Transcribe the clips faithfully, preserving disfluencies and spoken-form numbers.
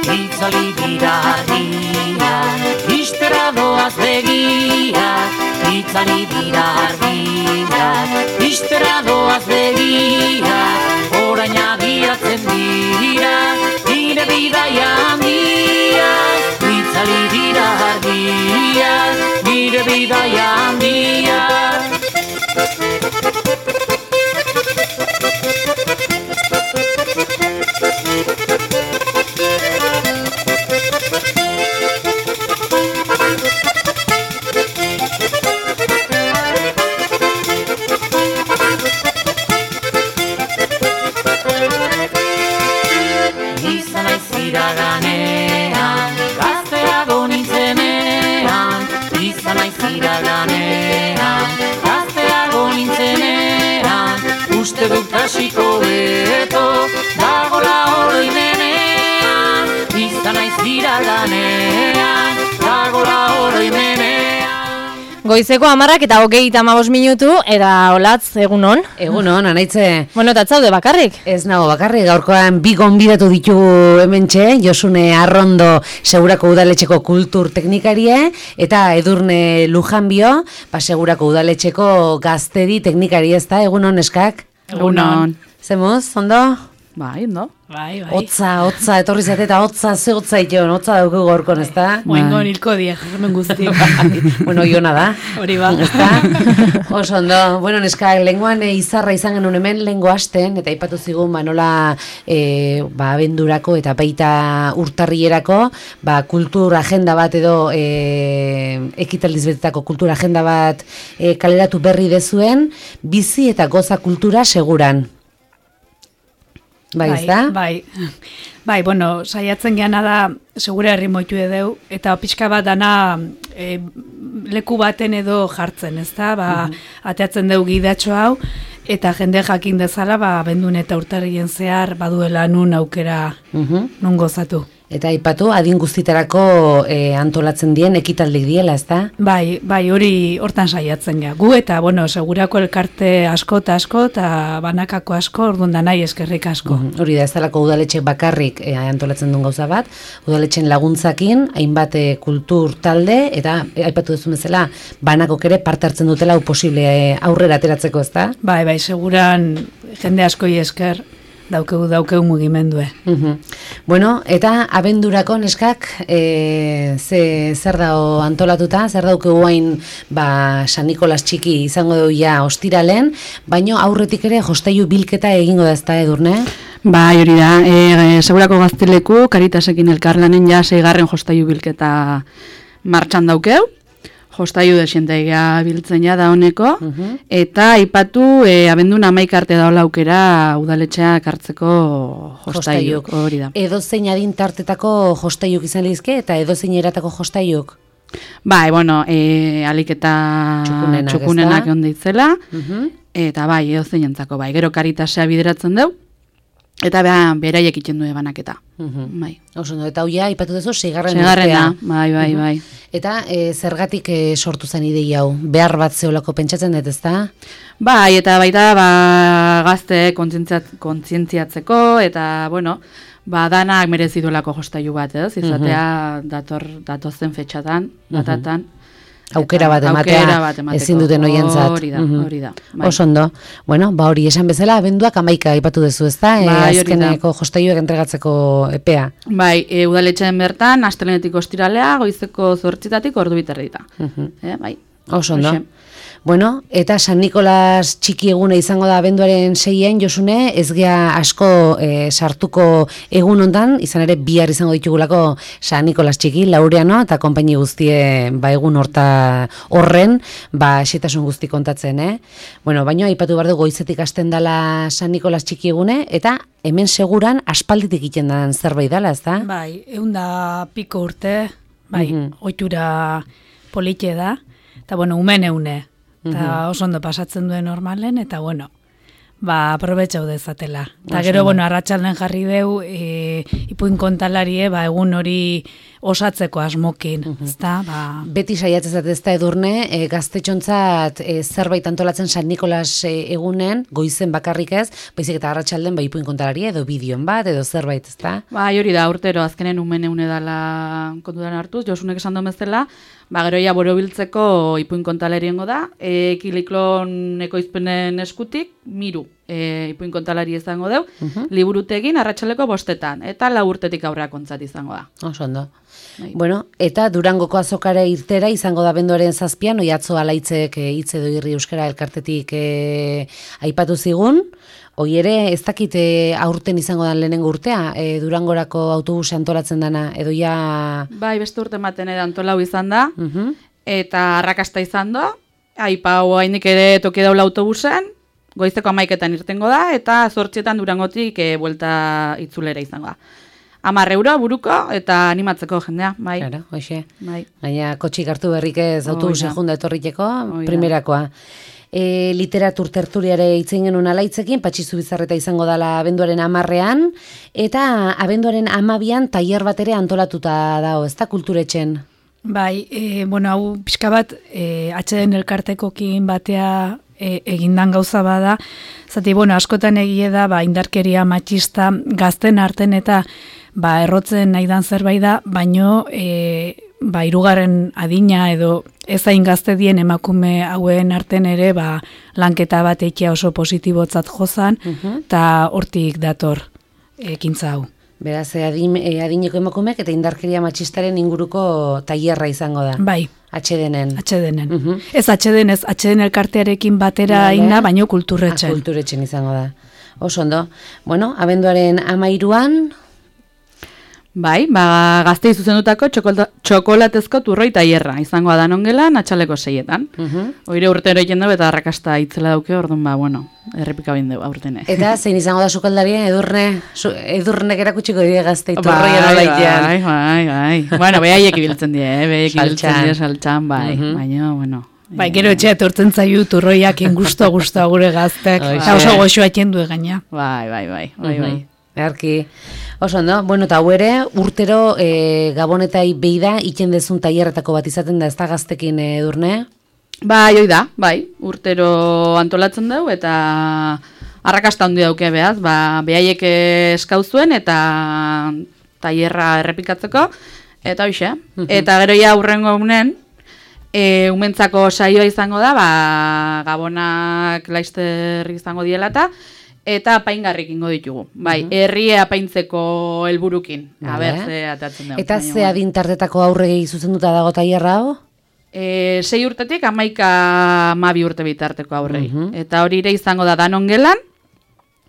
Itzali dira argiak, ixtera doaz begiak. Itzali dira argiak, ixtera doaz begiak. Orain agiatzen dira, nire bidaia handiak. Itzali dira argiak, nire bidaia handiak. Iraganean, gazteago nintzenean, izan naiz iraganean, gazteago nintzenean, uste dut hasiko beto, dagola oroimenean, izan naiz iraganean, dagola oroimenean. Goizeko hamarrak eta hogeita hamabost minutu, eta Olatz, egunon? Egunon, anaitze. Bueno, eta zaude bakarrik? Ez nago bakarrik, gaurkoan bi gonbidatu ditugu hementxe, Josune Arrondo Segurako Udaletxeko kultur teknikarie, eta Edurne Lujanbio, ba, Segurako Udaletxeko gaztedi teknikari, ez da, egunon eskak? Egunon. Zemuz, ondo? Bai, ondo. Bai, bai. Otza, otza, etorri zate eta otza, ze otza iton, otza dauku gorkon, ez da? Moingo nilko die, jarramen guzti. Bueno, iona da. Hori ba. Ez da? Oso ondo. Bueno, neska, lenguan e, izarra izan genuen hemen, lengo hasten, eta aipatu zigun, ba, nola, e, ba, abendurako eta baita urtarrierako, ba, kultur agenda bat edo, e, ekitaldiz betetako kultur agenda bat e, kaleratu berri dezuen, bizi eta goza kultura seguran. Bai, ez da? Bai, bai, bueno, saiatzen geana da, segura herri moitu edeu, eta pixka bat dana e, leku baten edo jartzen, ez da? Ba, uh-huh. Ateatzen dugu gidatxo hau, eta jende jakin dezala, ba, bendun eta urtarrien zehar, baduela nun aukera uh-huh. nun gozatu. Eta aipatu adin guztitarako e, antolatzen dien ekitaldik diela, ez da? Bai, bai, hori hortan saiatzen ja. Gu eta, bueno, segurako elkarte asko eta asko, eta banakako asko, orduan da nahi eskerrik asko. Mm, hori da, ez dalako udaletxek bakarrik e, antolatzen duen gauza bat, udaletxen laguntzakin, hainbat e, kultur talde, eta e, aipatu duzu bezala, banakok ere parte hartzen dutela hau posible e, aurrera ateratzeko, ez da? Bai, bai, seguran jende askoi esker, daukegu daukegu mugimendue. Uh-huh. Bueno, eta abendurako neskak e, ze, zer dago antolatuta, zer daukegu hain ba, San Nikolas txiki izango dugu ja ostiralen, baino aurretik ere jostailu bilketa egingo da, ez da, Edurne? Bai, hori da, e, e, Segurako Gazteleku, Karitasekin elkarlanen ja seigarren jostailu bilketa martxan daukeu. Jostailu desientaiga biltzen ja da honeko, uh-huh. eta aipatu e, abendun hamaika arte daola aukera udaletxeak hartzeko jostaiuk, hori da. Edozein adin tartetako jostaiuk izan lehizke eta edozein eratako jostaiuk? Bai, bueno, e, alik eta txukunenak, txukunenak onde itzela, uh-huh. eta bai, edozein entzako, bai, gero Karitasea bideratzen deu, eta beha, beraiek itzen du banaketa. Uh-huh. Bai. Oso, no, eta hoia, ipatu duzu, seigarren urtea. Bai, bai, bai. Uh-huh. Eta e, zergatik e, sortu zen ideia hau? Behar bat zeolako pentsatzen dut, ezta? Bai, eta baita ba, gazte kontzientziatzeko, eta, bueno, ba, danak merezi duelako jostailu bat, ez? Izatea uh-huh. dator, datozen fetxatan, datatan. Uh-huh. Aukera bat ematea, ezin duten oientzat. Hori da, hori da. Bai. Oso ondo. Bueno, ba hori esan bezala, abenduak hamaika aipatu duzu, ezta? Bai, e, azkeneko jostailuak entregatzeko epea. Bai, e, udaletxeen bertan, astelenetik ostiralea, goizeko zortzitatik ordu biterrita. Uh-huh. E, bai. Oso ondo. Oxe. Bueno, eta San Nikolas txiki eguna izango da abenduaren seian, Josune, ez gea asko e, sartuko egun hontan, izan ere bihar izango ditugulako San Nikolas txiki, Laureano, eta konpaini guztie ba, egun horta horren, ba, xetasun guzti kontatzen, eh? Bueno, baina aipatu behar du goizetik hasten dela San Nikolas txiki egune, eta hemen seguran aspalditik egiten dan zerbait dela, ez da? Bai, eunda piko urte, bai, uh-huh. oitura politxe da, eta bueno, umen eune. Eta oso ondo pasatzen duen normalen, eta bueno, ba, aprobetxau dezatela. Eta gero, bueno, arratsalden jarri deu, e, ipuin kontalarie, ba, egun hori osatzeko asmokin, ezta? Ba, Beti saiatzen zat ez da Edurne, e, gaztetxontzat e, zerbait antolatzen San Nikolas e, egunen, goizen bakarrik ez, baizik eta arratsalden ba ipuin kontalari edo bideon bat, edo zerbait, ez da? Bai, hori da, urtero, azkenen umen eune dala kontutan hartuz, Josunek esan duen bezala, ba, gero ja borobiltzeko ipuin kontalariongo da, e, Kiliklon ekoizpenen eskutik, miru e, ipuin kontalari izango deu, liburutegin arratsaleko bostetan, eta lau urtetik aurrera kontzat izango da. Oso ondo. Bai. Bueno, eta Durangoko azokare irtera izango da benduaren zazpian, oiatzo alaitzek e, hitz edo irri euskara elkartetik e, aipatu zigun, hoi ere ez dakit e, aurten izango da lehenengo urtea, e, Durangorako autobus antolatzen dana, edo ja... Bai, beste urte maten edo antolau izan da, Mhm. eta arrakasta izan da, aipau hainik ere toki daula autobusen, goizeko amaiketan irtengo da, eta zortzietan Durangotik e, buelta itzulera izango da. Hamar euro buruko eta animatzeko jendea, bai. Claro, hoxe. Bai. Gaina kotxik hartu berrik ez autobusen Hoi da. junda etorriteko, Hoi da. primerakoa. E, literatur tertuliare itzen genuen alaitzekin, Patxizu Bizarreta izango dala abenduaren amarrean, eta abenduaren amabian tailer bat ere antolatuta dago, ez da kulturetxen? bai, e, bueno, hau pixka bat, e, atxeden elkartekokin batea e, egindan gauza bada, zati, bueno, askotan egie da, ba, indarkeria matxista gazten arten eta ba, errotzen nahi dan zerbait da, baino e, ba, hirugarren adina edo ez hain gazte dien emakume hauen arten ere ba, lanketa bat eikia oso positibotzat jozan, eta hortik dator ekintza hau. Beraz, e, adin, e, adineko emakumeak eta indarkeria matxistaren inguruko tailerra izango da. Bai, Atxedenen. atxedenen. Mhm. Ez atxeden, ez atxeden elkartearekin batera Vale. egina, baino Ah, kulturretxen. kulturetxen izango da. Oso ondo. Bueno, abenduaren amairuan, Bai, ba, gaztei zuzendutako txokolata, txokolatezko turroi tailerra izango da nongelan atxaleko seietan. Mhm. Oire urtero egin dugu eta arrakasta itzela dauke, orduan ba, bueno, errepika bain dugu aurtene. eta zein izango da sukaldarien edurne, su, edurnek erakutsiko dire gaztei Bai, turroien bai, alaitean. bai, bai, bai. Bueno, behaiek ibiltzen die, eh? behaiek ibiltzen Saltxan. die saltxan, bai, Mhm. baina, bueno. Bai, gero etxea etortzen zaiu turroiak gusto gusto gure gaztek, Hoxe. eta oso goxoa du gaina. Bai, bai, bai, bai, bai. Earki. Oso ondo, bueno, eta hau ere, urtero e, gabonetai beida, iten dezun tailerretako bat izaten da, ez da gaztekin e, Edurne? Bai, hoi da, bai, urtero antolatzen dugu eta arrakasta handi dauke behaz, ba, behaiek eskauzuen eta tailerra errepikatzeko, eta hoxe. Eta gero ja aurrengo unen, e, umentzako saioa izango da, ba, gabonak laizter izango diela eta, eta apaingarrik ingo ditugu. Bai, herria apaintzeko helburukin. A Vale. ber, ze atatzen dugu. Eta baina, ze bueno. adintartetako aurregi zuzenduta dago tailerra hau? E, sei urtetik amaika mabi urte bitarteko aurrei. Eta hori ere izango da danon gelan,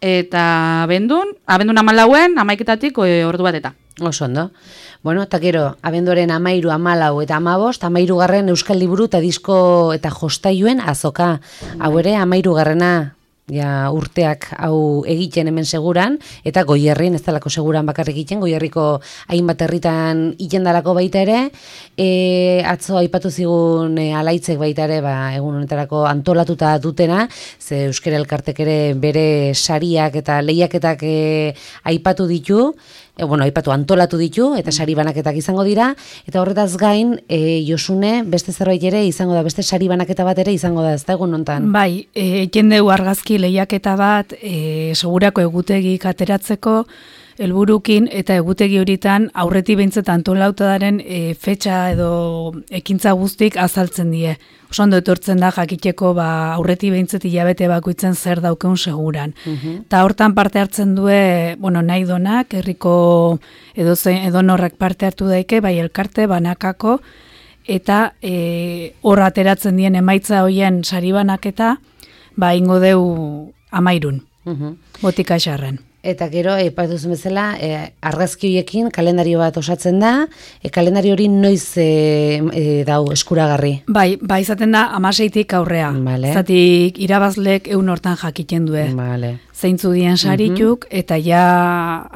eta abendun, abendun amalauen amaiketatik e, ordu bat eta. Oso ondo. Bueno, eta gero, abenduaren amairu, amalau eta amabost, amairu garren Euskal Liburu eta disko eta jostailuen azoka. Hau ere, amairu garrena ja, urteak hau egiten hemen seguran, eta Goierrin, ez dalako seguran bakarrik egiten, Goierriko hainbat herritan iten dalako baita ere, e, atzo aipatu zigun e, alaitzek baita ere, ba, egun honetarako antolatuta dutena, ze Euskara Elkartek ere bere sariak eta lehiaketak e, aipatu ditu, e, bueno, aipatu antolatu ditu, eta sari banaketak izango dira, eta horretaz gain, e, Josune, beste zerbait ere izango da, beste sari banaketa bat ere izango da, ez da egun hontan. Bai, e, jendeu argazki lehiaketa bat, e, segurako egutegik ateratzeko, helburukin eta egutegi horitan aurreti behintzat antolautadaren e, fetxa edo ekintza guztik azaltzen die. Oso ondo etortzen da jakiteko ba, aurreti behintzat hilabete bakoitzen zer daukeun seguran. Eta hortan parte hartzen due, bueno, nahi donak, herriko edo, edo norrak parte hartu daike, bai elkarte, banakako, eta e, hor ateratzen dien emaitza hoien sari banaketa, ba ingo deu amairun, Mhm. botika esarren. Eta gero, aipatu duzun bezala, e, argazki horiekin kalendario bat osatzen da, e, kalendario hori noiz e, e, dau eskuragarri. Bai, bai izaten da amaseitik aurrea. Vale. Zatik irabazlek eun hortan jakiten due. Vale. Zeintzu dien sarituk, eta ja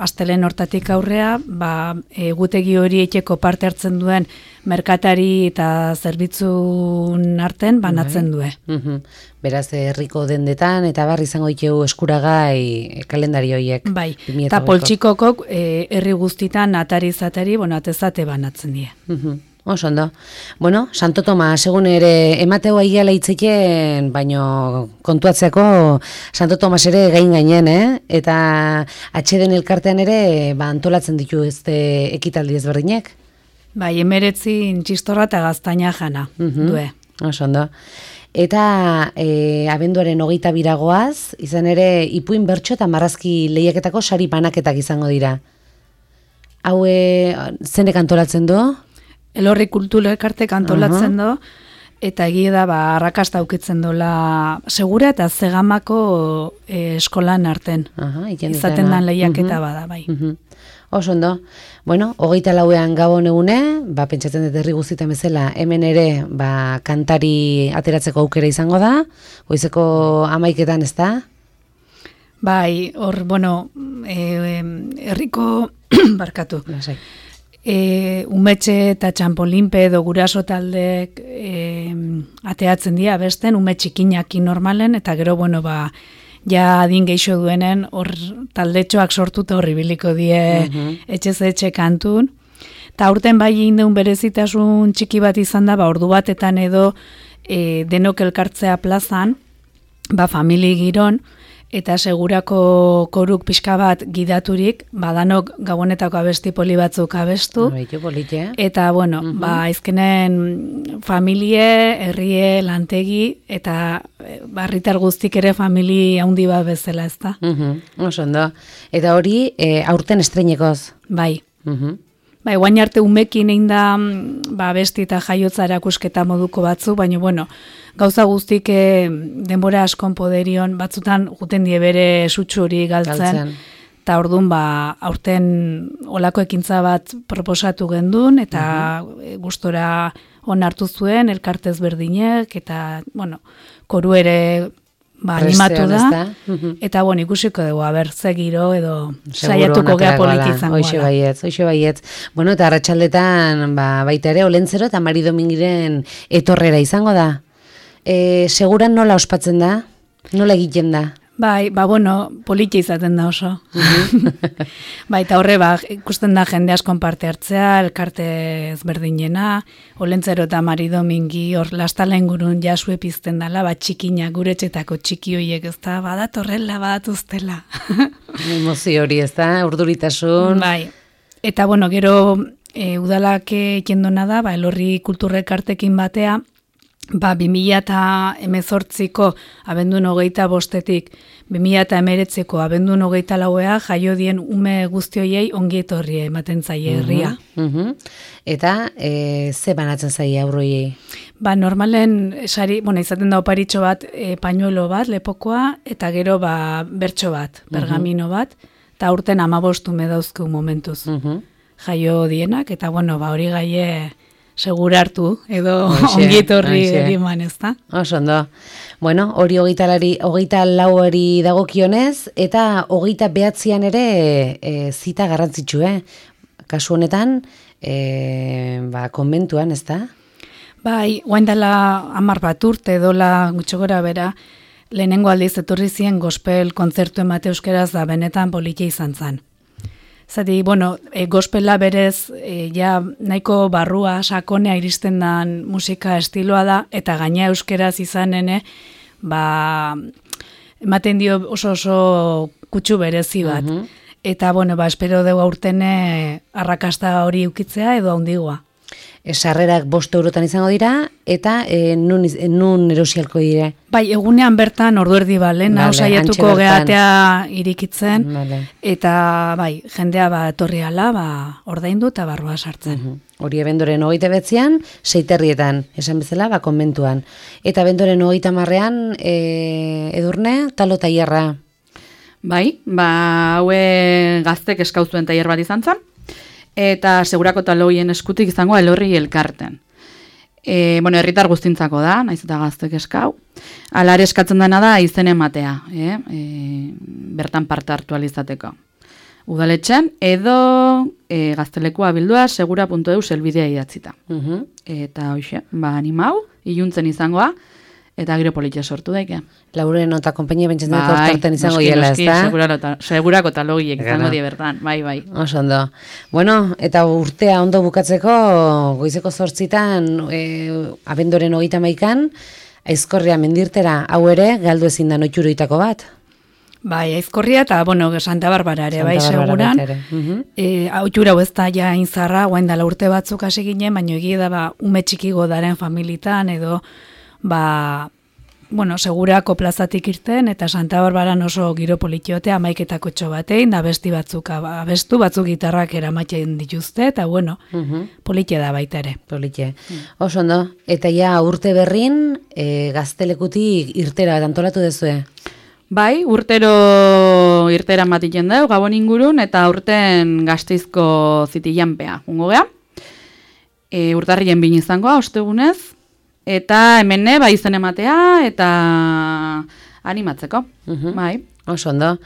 astelen hortatik aurrea, ba, egutegi hori etxeko parte hartzen duen merkatari eta zerbitzun arten banatzen due. Mhm. Beraz, herriko dendetan, eta bar izango ditugu eskuragai kalendari horiek. Bai, eta poltsikokok e, herri guztitan atari-zatari, bueno, atezate banatzen die. Mhm. Oso ondo. Bueno, Santo Tomas, egun ere emateu aiala hitzeken, baino kontuatzeako Santo Tomas ere gain gainen, eh? Eta atxeden elkartean ere ba, antolatzen ditu ezte ekitaldi ezberdinek. Bai, emeretzin txistorra eta gaztaina jana, Mhm. due. Oso ondo. Eta e, abenduaren hogeita biragoaz, izan ere ipuin bertso eta marrazki lehiaketako sari banaketak izango dira. Hau e, zenek antolatzen du? Elorri kultura elkartek antolatzen do, eta egia da, ba, arrakasta aukitzen dola segura eta zegamako e, eskolan arten. Aha, izaten dan lehiaketa bada, bai. Uh-huh. Oso ondo. Bueno, hogeita lauean gabon egune, ba, pentsatzen dut herri guztietan bezala, hemen ere, ba, kantari ateratzeko aukera izango da, goizeko amaiketan, ez da? Bai, hor, bueno, e, herriko, barkatu, Lasai. E, umetxe eta txampolinpe edo guraso taldek e, ateatzen dira besten, ume txikinaki normalen, eta gero, bueno, ba, ja adin geixo duenen, hor taldetxoak sortuta horri biliko die Mhm. etxez etxe kantun. Eta aurten bai indeun berezitasun txiki bat izan da, ba, ordu batetan edo e, denok elkartzea plazan, ba, famili giron, eta segurako koruk pixka bat gidaturik, badanok gabonetako abesti poli batzuk abestu. Baitu polite. Eta, bueno, uh-huh. ba, izkenen familie, herrie, lantegi, eta barritar guztik ere famili handi bat bezala, ez da? Uh-huh. Oso ondo. Eta hori, e, aurten estreinekoz. Bai. Uh-huh. Bai, guain arte umekin egin da ba, besti eta jaiotza erakusketa moduko batzu, baina, bueno, gauza guztik e, denbora askon poderion, batzutan juten die bere sutxuri galtzen, eta orduan, ba, aurten olako ekintza bat proposatu gendun, eta uh-huh. gustora onartu zuen, elkartez berdinek, eta, bueno, koru ere ba, animatu da, uh-huh. eta, bueno, ikusiko dugu, aber, zegiro edo saiatuko gea politizango. Hoxe baietz, hoxe baietz. Bueno, eta arratsaldetan ba, baita ere, Olentzero eta Mari Domingiren etorrera izango da. E, seguran nola ospatzen da? Nola egiten da? Bai, ba, bueno, politia izaten da oso. Bai, eta horre, ba, ikusten da jende askon parte hartzea, elkarte ezberdinena, Olentzero eta Mari Domingi, hor lastala ingurun jasue pizten dala, ba, txikina, gure etxetako txiki hoiek, ez da, badatorrela, badatuztela. Emozio hori, ez da, urduritasun. Bai, eta, bueno, gero e, udalak ekendona da, ba, Elorri kulturrekartekin batea, ba, bi mila hemezortziko abendun hogeita bostetik, bi mila hemeretziko abendun hogeita lauea jaio dien ume guztioiei ongi etorri ematen zaie herria. Uh-huh, uh-huh. Eta e, ze banatzen zaie aurroiei? Ba, normalen, sari, bueno, izaten da oparitxo bat, e, pañuelo bat, lepokoa, eta gero ba, bertso bat, pergamino bat, eta urten amabostu medauzku momentuz. Uh-huh. Jaio dienak, eta bueno, ba, hori gaie segura hartu, edo ongietorri eriman, ez da? Oso ondo. Bueno, hori hogeita lauari dagokionez, eta hogeita behatzian ere e, zita garrantzitsu, eh? Kasu honetan, e, ba, konbentuan, ez da? Bai, guain dela hamar bat urte, dola gutxo gora bera, lehenengo aldiz etorri zien gospel kontzertu emate euskeraz da benetan politia izan zen. Zati, bueno, e, gospela berez, e, ja nahiko barrua, sakonea iristen dan musika estiloa da, eta gaina euskeraz izanene, ba, ematen dio oso oso kutsu berezi bat. Uh-huh. Eta, bueno, ba, espero dugu aurtene arrakasta hori ukitzea edo handigoa. Sarrerak bost eurotan izango dira, eta e, nun, nun erosialko dira? Bai, egunean bertan ordu erdi balen, hau saiatuko gehatea irikitzen, vale. Eta bai, jendea ba, etorri ala, ba, ordaindu eta barrua sartzen. Uh-huh. Hori abendoren hogeita betzian, seiterrietan, esan bezala, ba, konbentuan. Eta abendoren hogeita marrean, e, edurne, talo tailerra. Bai, ba, haue gaztek eskauzuen tailer bat izan zen, eta segurako taloien eskutik izango Elorri elkarten. E, bueno, herritar guztintzako da, naiz eta gaztek eskau. Alare eskatzen dena da izen ematea, eh? e, bertan parte hartu alizateko. Udaletxen, edo e, gaztelekua bildua segura puntu eus elbidea idatzita. Mhm. Eta hoxe, ba animau, iluntzen izangoa, eta gero politia sortu daike. Lauren eta konpainia pentsatzen dut Bai, hortarten izango noski, hiela, noski, ezta? segurako ta- Segurako talogiek izango Gara. die bertan, bai, bai. Oso ondo. Bueno, eta urtea ondo bukatzeko, goizeko zortzitan, e, abendoren hogeita maikan, Aizkorria mendirtera, hau ere, galdu ezin da noitxuroitako bat. Bai, Aizkorria eta, bueno, Santa Barbara ere, bai, Santa Barbara seguran. baita ere. Mhm. E, Hautura hau ez da ja inzarra, guain dala urte batzuk hasi ginen, baina egia da, ba, ume txikigo daren familitan, edo, ba, bueno, segurako plazatik irten, eta Santa Barbaran oso giro politiote, amaiketako txo batein, da besti batzuk aba- abestu, batzuk gitarrak eramatzen dituzte, eta bueno, Mhm. politia da baita ere. Politxe. Oso ondo. Eta ja urte berrin, e, gaztelekutik irtera bat antolatu dezue. Bai, urtero irtera matiten dau, Gabon ingurun, eta urten Gasteizko zitilanpea. Jungo gea, e, urtarrien bin izangoa, ostegunez, eta hemene, bai izen ematea, eta animatzeko. Mhm. Bai. Oso ondo.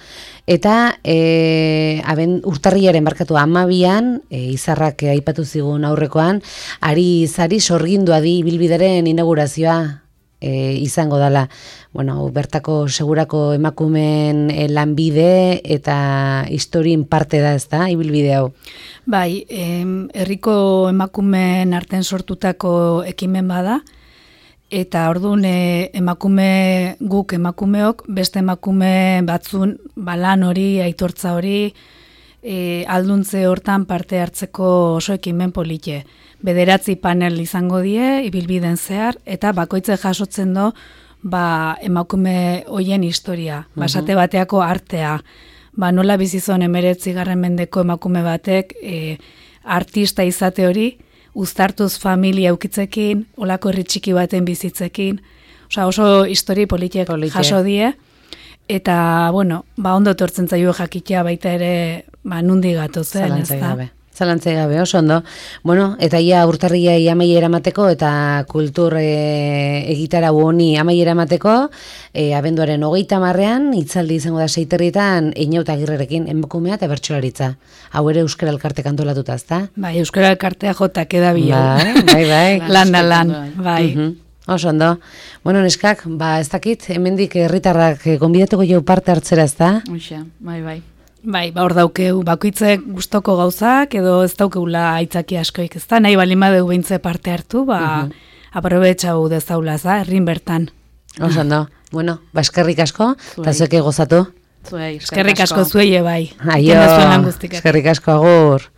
Eta e, aben, urtarriaren barkatu amabian, e, izarrak e, aipatu zigun aurrekoan, ari izari sorgindua di ibilbideren inaugurazioa e, izango dela. Bueno, bertako segurako emakumen e, lanbide eta historien parte da, ez da, ibilbide hau. Bai, em, herriko emakumeen arten sortutako ekimen bada, eta orduan e, emakume guk emakumeok, beste emakume batzun balan hori, aitortza hori, e, alduntze hortan parte hartzeko oso ekimen polite. Bederatzi panel izango die, ibilbiden zehar, eta bakoitze jasotzen do, ba, emakume hoien historia, basate bateako artea, ba, nola bizizon emeretzi garren mendeko emakume batek e, artista izate hori, uztartuz familia eukitzekin, olako herri txiki baten bizitzekin, osea oso histori politek Polite. jaso die, eta, bueno, ba, ondo etortzen zaio jakitea baita ere, ba, nundi gatozen, ez Zalantzai da? gabe. Zalantzai gabe, oso ondo. Bueno, eta ia urtarriai amaiera emateko eta kultur e, egitarau honi amaiera emateko, e, abenduaren hogeita marrean, itzaldi izango da seiterritan, Einauta Agirrerekin, emakumea eta bertsolaritza. Hau ere Euskara Elkarte kantolatuta, ezta? Bai, Euskara Elkartea jotak edabio. Bai, bai, bai. Lan da lan, bai. Mhm. Oso ondo. Bueno, neskak, ba, ez dakit, hemendik herritarrak eh, gonbidatuko jau parte hartzera, ezta? Hoxe, bai, bai. Bai, ba, hor daukeu, bakoitzek gustoko gauzak, edo ez daukeula aitzaki askoik, ez da, nahi balin badeu beintze parte hartu, ba, aprobetxau dezaula, za, herrin bertan. Oso ondo. Bueno, ba, eskerrik asko, eta Zuei. zueke gozatu. Zuei, Eskerrik asko zuei, bai. Aio, Egiten duzuen lan guztikatik. eskerrik asko, agur.